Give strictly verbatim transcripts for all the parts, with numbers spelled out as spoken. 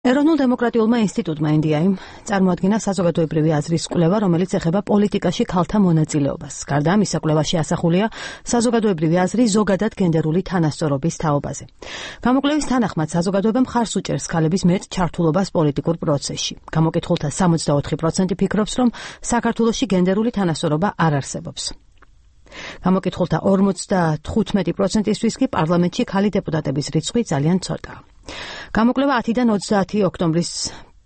ეროვნულ დემოკრატიულმა ინსტიტუტმა ინდიაიმ წარმოადგინა საზოგადოებრივი აზრის კვლევა, რომელიც ეხება პოლიტიკაში ქალთა მონაწილეობას. გარდა ამისა, კვლევაში ასახულია საზოგადოებრივი აზრი ზოგადად გენდერული თანასწორობის თაობაზე. გამოკვლევის თანახმად, საზოგადოება მხარს უჭერს ქალების მეტ ჩართულობას პოლიტიკურ პროცესში. გამოკითხულთა სამოცდაოთხი პროცენტი ფიქრობს, რომ საქართველოში გენდერული თანასწორობა არ არსებობს. გამოკითხულთა ორმოცდათხუთმეტი პროცენტისთვის კი პარლამენტში ქალი დეპუტატების რიცხვი ძალიან ცოტაა. გამოკვლევა ათიდან ოცდაათი ოქტომბრის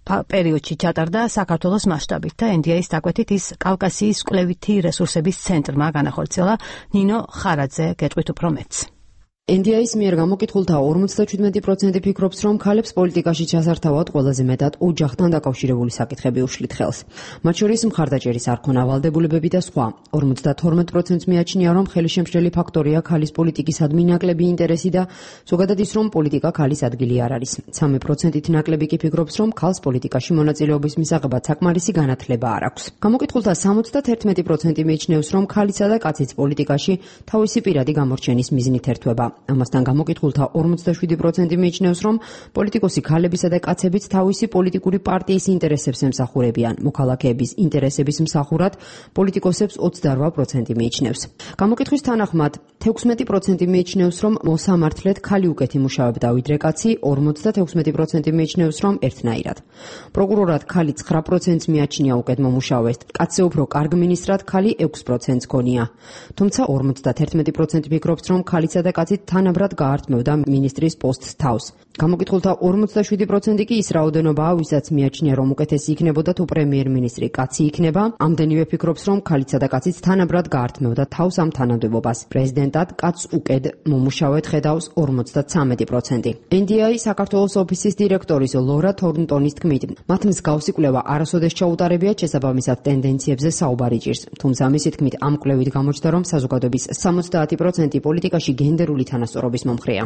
პერიოდში ჩატარდა საქართველოს მასშტაბით და ენ დი ეის დაკვეთით ის კავკასიის კვლევითი რესურსების ცენტრმა განახორციელა. ნინო ხარაძე გეტყვით უფრო მეტს. ენ დი ეის მიერ გამოკითხულთა ორმოცდაჩვიდმეტი პროცენტი ფიქრობს, რომ ქალებს პოლიტიკაში ჩასართავად ყველაზე მეტად ოჯახთან დაკავშირებული საკითხები უშლით ხელს. მათ შორის მხარდაჭერის არქონა, ვალდებულებები და სხვა. ორმოცდათორმეტ პროცენტს მიაჩნია, რომ ხელისშემშლელი ფაქტორია ქალის პოლიტიკისადმი ნაკლები ინტერესი და ზოგადად ის, რომ პოლიტიკა ქალის ადგილი არ არის. სამი პროცენტით ნაკლები კი ფიქრობს, რომ ქალს პოლიტიკაში მონაწილეობის მისაღებად საკმარისი განათლება არ აქვს. გამოკითხულთა სამოცდაერთმეტი პროცენტი მიიჩნევს, რომ ქალისა და კაცის პოლიტიკაში თავისი პირადი გამორჩენის მიზნით ერთვება. ამასთან გამოკითხულთა ორმოცდაშვიდი პროცენტი მიიჩნევს, რომ პოლიტიკოსი ქალებისა და კაცებიც თავისი პოლიტიკური პარტიის ინტერესებს ემსახურებიან. მოქალაქეების ინტერესების მსახურად პოლიტიკოსებს ოცდარვა პროცენტი მიიჩნევს. გამოკითხვის თანახმად, თექვსმეტი პროცენტი მიიჩნევს, რომ მოსამართლედ ქალი უკეთ იმუშავებდა ვიდრე კაცი, ორმოცდათექვსმეტი პროცენტი მიიჩნევს, რომ ერთნაირად. პროკურორად ქალი ცხრა პროცენტს მიაჩნია უკეთ მომუშავეს, კაცზე უფრო კარგ მინისტრად ქალი ექვს პროცენტს გონია. თუმცა ორმოცდაერთმეტი პროცენტი ფიქრობს, რომ ქალისა და კაცი თანაბრად გაართმევდა მინისტრის პოსტს თავს. გამოკითხულთა ორმოცდაშვიდი პროცენტი კი ის რაოდენობაა, ვისაც მიაჩნია, რომ უკეთესი იქნებოდა თუ პრემიერ-მინისტრი კაცი იქნება. ამდენივე ფიქრობს, რომ ქალიცა და კაციც თანაბრად გაართმევდა თავს ამ თანამდებობას. პრეზიდენტად კაცს უკეთ მომუშავედ ხედავს ორმოცდაცამეტი პროცენტი. ენ დი ეი საქართველოს ოფისის დირექტორის ლორა თორნტონის თქმით, მათ მსგავსი კვლევა არასოდეს ჩაუტარებიათ, შესაბამისად ტენდენციებზე საუბარი ჭირს. თუმცა მისი თქმით, ამ კვლევით გამოჩნდა, რომ საზოგადოების სამოცდაათი პროცენტი პოლიტიკაში გენდერული თანასწორობის მომხრეა.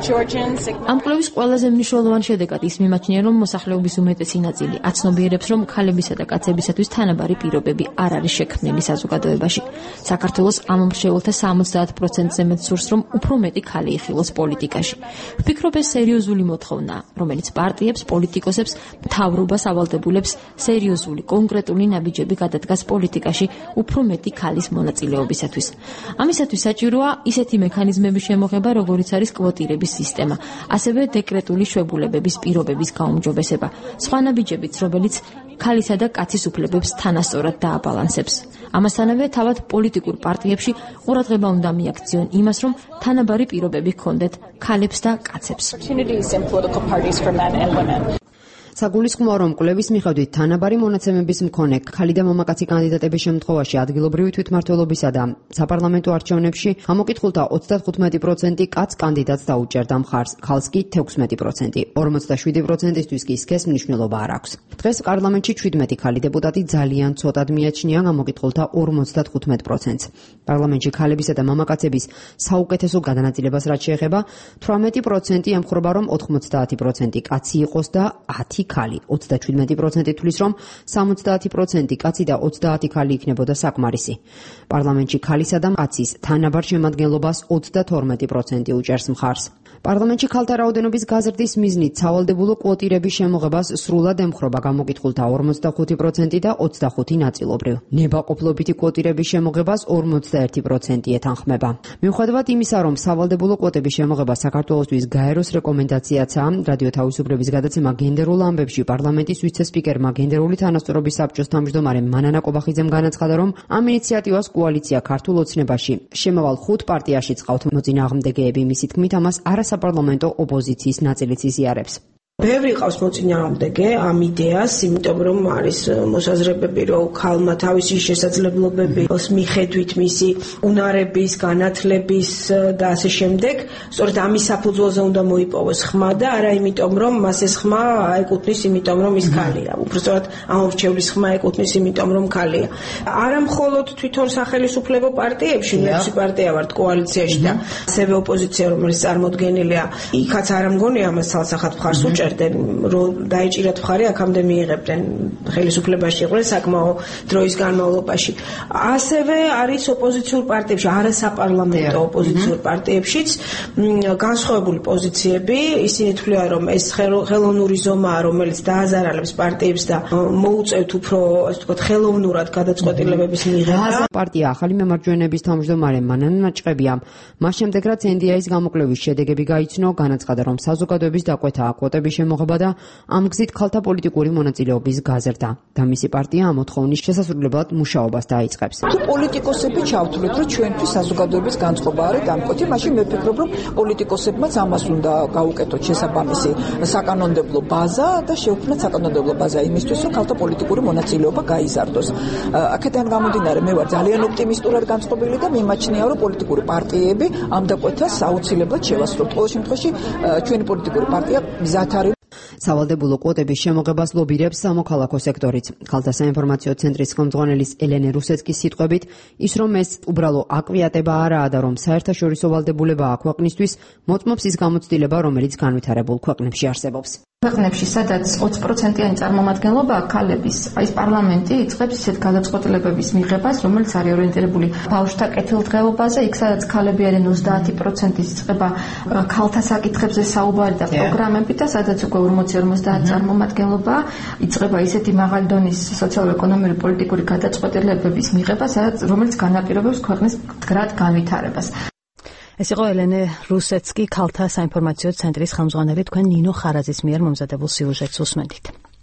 ამ კვლევის ყველაზე მნიშვნელოვანი შედეგად ის მიმაჩნია, რომ მოსახლეობის უმეტესი ნაწილი აცნობიერებს, რომ ქალებისა და კაცებისათვის თანაბარი პირობები არ არის შექმნილი საზოგადოებაში. საქართველოს ამ მრჩეველთა სამოცდაათ პროცენტზე მეტ სურს, რომ უფრო მეტი ქალი იხილოს პოლიტიკაში. ვფიქრობ, ეს სერიოზული მოთხოვნა, რომელიც პარტიებს, პოლიტიკოსებს, მთავრობას ავალდებულებს სერიოზული, კონკრეტული ნაბიჯები გადადგას პოლიტიკაში უფრო მეტი ქალის მონაწილეობისათვის. ამისათვის საჭიროა ისეთი მექანიზმების შემოღება, როგორიც არის კვოტირების სისტემა, ასევე დეკრეტული შვებულებების პირობების გაუმჯობესება, სხვა ნაბიჯებიც, რომელიც ქალისა და კაცის უფლებებს თანასწორად დააბალანსებს. ამასთანავე თავად პოლიტიკურ პარტიებში ყურადღება უნდა მიაქციონ იმას, რომ თანაბარი პირობები ჰქონდეთ ქალებს და კაცებს. საგულისხმოა, რომ კვლევის მიხედვით თანაბარი მონაცემების მქონე ქალი და მამაკაცი კანდიდატების შემთხვევაში ადგილობრივი თვითმმართველობისა და საპარლამენტო არჩევნებში გამოკითხულთა ოცდათხუთმეტი პროცენტი კაც კანდიდატს დაუჭერდა მხარს, ქალს კი თექვსმეტი პროცენტი. ორმოცდაშვიდი პროცენტისთვის კი სქეს მნიშვნელობა არ აქვს. დღეს პარლამენტში ჩვიდმეტი ქალი დეპუტატი ძალიან ცოტად მიაჩნია გამოკითხულთა ორმოცდათხუთმეტ პროცენტს. პარლამენტში ქალებისა და მამაკაცების საუკეთესო გადანაწილებას რაც შეეხება, თვრამეტი პროცენტი ემხრობა, რომ ოთხმოცდაათი პროცენტი კაცი იყოს და ათი ქალი. ოცდაჩვიდმეტი პროცენტი თვლის, რომ სამოცდაათი პროცენტი კაცი და ოცდაათი ქალი იქნებოდა საკმარისი. პარლამენტში ქალისა და კაცის თანაბარ შემადგენლობას ოცდათორმეტი პროცენტი უჭერს მხარს. პარლამენტში ქალთა რაოდენობის გაზრდის მიზნით სავალდებულო კვოტირების შემოღებას სრულად ემხრობა გამოკითხულთა ორმოცდახუთი პროცენტი და ოცდახუთი ნაწილობრივ. ნებაყოფლობითი კვოტირების შემოღებას ორმოცდაერთი პროცენტი ეთანხმება. მიუხედავად იმისა, რომ სავალდებულო კვოტების შემოღება საქართველოსთვის გაეროს რეკომენდაციაცაა, რადიო თავისუფლების გადაცემა გენდერულ ამბებში პარლამენტის ვიცე-სპიკერმა გენდერული თანასწორობის საბჭოს თავმჯდომარემ მანანა კობახიძემ განაცხადა, რომ ამ ინიციატივას კოალიცია ქართულ ოცნებაში შემავალ ხუთ პარტიაში წყავთ მოწინააღმდეგეები. მისი თქმით, ამას არასაპარლამენტო ოპოზიციის ნაწილიც იზიარებს. ბევრი ყავს მოწინააღმდეგე ამ იდეას, იმიტომ რომ არის მოსაზრებები, რომ ქალმა თავისი შესაძლებლობების მიხედვით მისი უნარების, განათლების და ასე შემდეგ, სწორედ ამის საფუძველზე უნდა მოიპოვოს ხმა და არა იმიტომ, რომ მას ეს ხმა ეკუთვნის, იმიტომ რომ ის ქალია. უბრალოდ ამ მრჩევლის ხმა ეკუთვნის, იმიტომ რომ ქალია. არა მხოლოდ თვითონ სახელისუფლებო პარტიებში, მეექვსე პარტია ვართ კოალიციაში და ასევე ოპოზიცია, რომელიც წარმოდგენილია, იქაც არ ამგონია ამას ცალსახად მხარს უჭერთ. წერდნენ, რომ დაიჭირათ მხარი, აქამდე მიიღებდნენ ხელისუფლებაში იყვნენ საკმაო დროის განმავლობაში. ასევე არის ოპოზიციურ პარტიებში, არასაპარლამენტო ოპოზიციურ პარტიებშიც განსხვავებული პოზიციები, ისინი თვლიან, რომ ეს ხელოვნური ზომაა, რომელიც დააზარალებს პარტიებს და მოუწევთ უფრო, ასე ვთქვათ, ხელოვნურად გადაწყვეტილებების მიღება. პარტია ახალი მემარჯვენეების თავმჯდომარე მანან მაჭყებია. მას შემდეგ რაც ენ დი ეის გამოკვლევის შედეგები გაიცნო, განაცხადა, რომ საზოგადოების დაკვეთა კვოტების შემოღება და ამ გზით ქალთა პოლიტიკური მონაწილეობის გაზრდა და მისი პარტია ამ მოთხოვნის შესასრულებლად მუშაობას დაიწყებს. თუ პოლიტიკოსები ჩავთვლით, რომ ჩვენთვის საზოგადოების განწყობა არის დამკვეთი, მაშინ მე ვფიქრობ, რომ პოლიტიკოსებმაც ამას უნდა გაუკეთოთ შესაბამისი საკანონმდებლო ბაზა და შეუქმნათ საკანონმდებლო ბაზა იმისთვის, რომ ქალთა პოლიტიკური მონაწილეობა გაიზარდოს. აქედან გამომდინარე, მე ვარ ძალიან ოპტიმისტურად განწყობილი და მიმაჩნია, რომ პოლიტიკური პარტიები ამ დაკვეთას აუცილებლად შევასრულოთ. ყოველ შემთხვევაში ჩვენი პოლიტიკური პარტია მზად არის სავალდებულო კვოტების შემოღებას ლობირებს სამოქალაქო სექტორიც. ქალთა საინფორმაციო ცენტრის ხელმძღვანელის ელენე რუსეცკის სიტყვებით, ის რომ ეს უბრალო აკვიატება არაა და რომ საერთაშორისო ვალდებულებაა ქვეყნისთვის, მოწმობს ის გამოცდილება, რომელიც განვითარებულ ქვეყნებში არსებობს. ქვეყნებში, სადაც ოცი პროცენტიანი წარმომადგენლობაა ქალების, აი ეს პარლამენტი იწყებს ისეთ გადაწყვეტილებების მიღებას, რომელიც არის ორიენტირებული ბავშვთა კეთილდღეობაზე, იქ სადაც ქალები არიან ოცდაათი პროცენტის იწყება ქალთა საკითხებზე საუბარი და პროგრამები და სადაც უკვე ორმოცი ორმოცდაათი წარმომადგენლობაა, იწყება ისეთი მაღალი დონის სოციალურ-ეკონომიური პოლიტიკური გადაწყვეტილებების მიღება, სადაც რომელიც განაპირობებს ქვეყნის მდგრად განვითარებას. ეს იყო ელენე რუსეცკი, ქალთა საინფორმაციო ცენტრის ხელმძღვანელი, თქვენ ნინო ხარაძის მიერ მომზადებულ სიუჟეტს უსმენთ.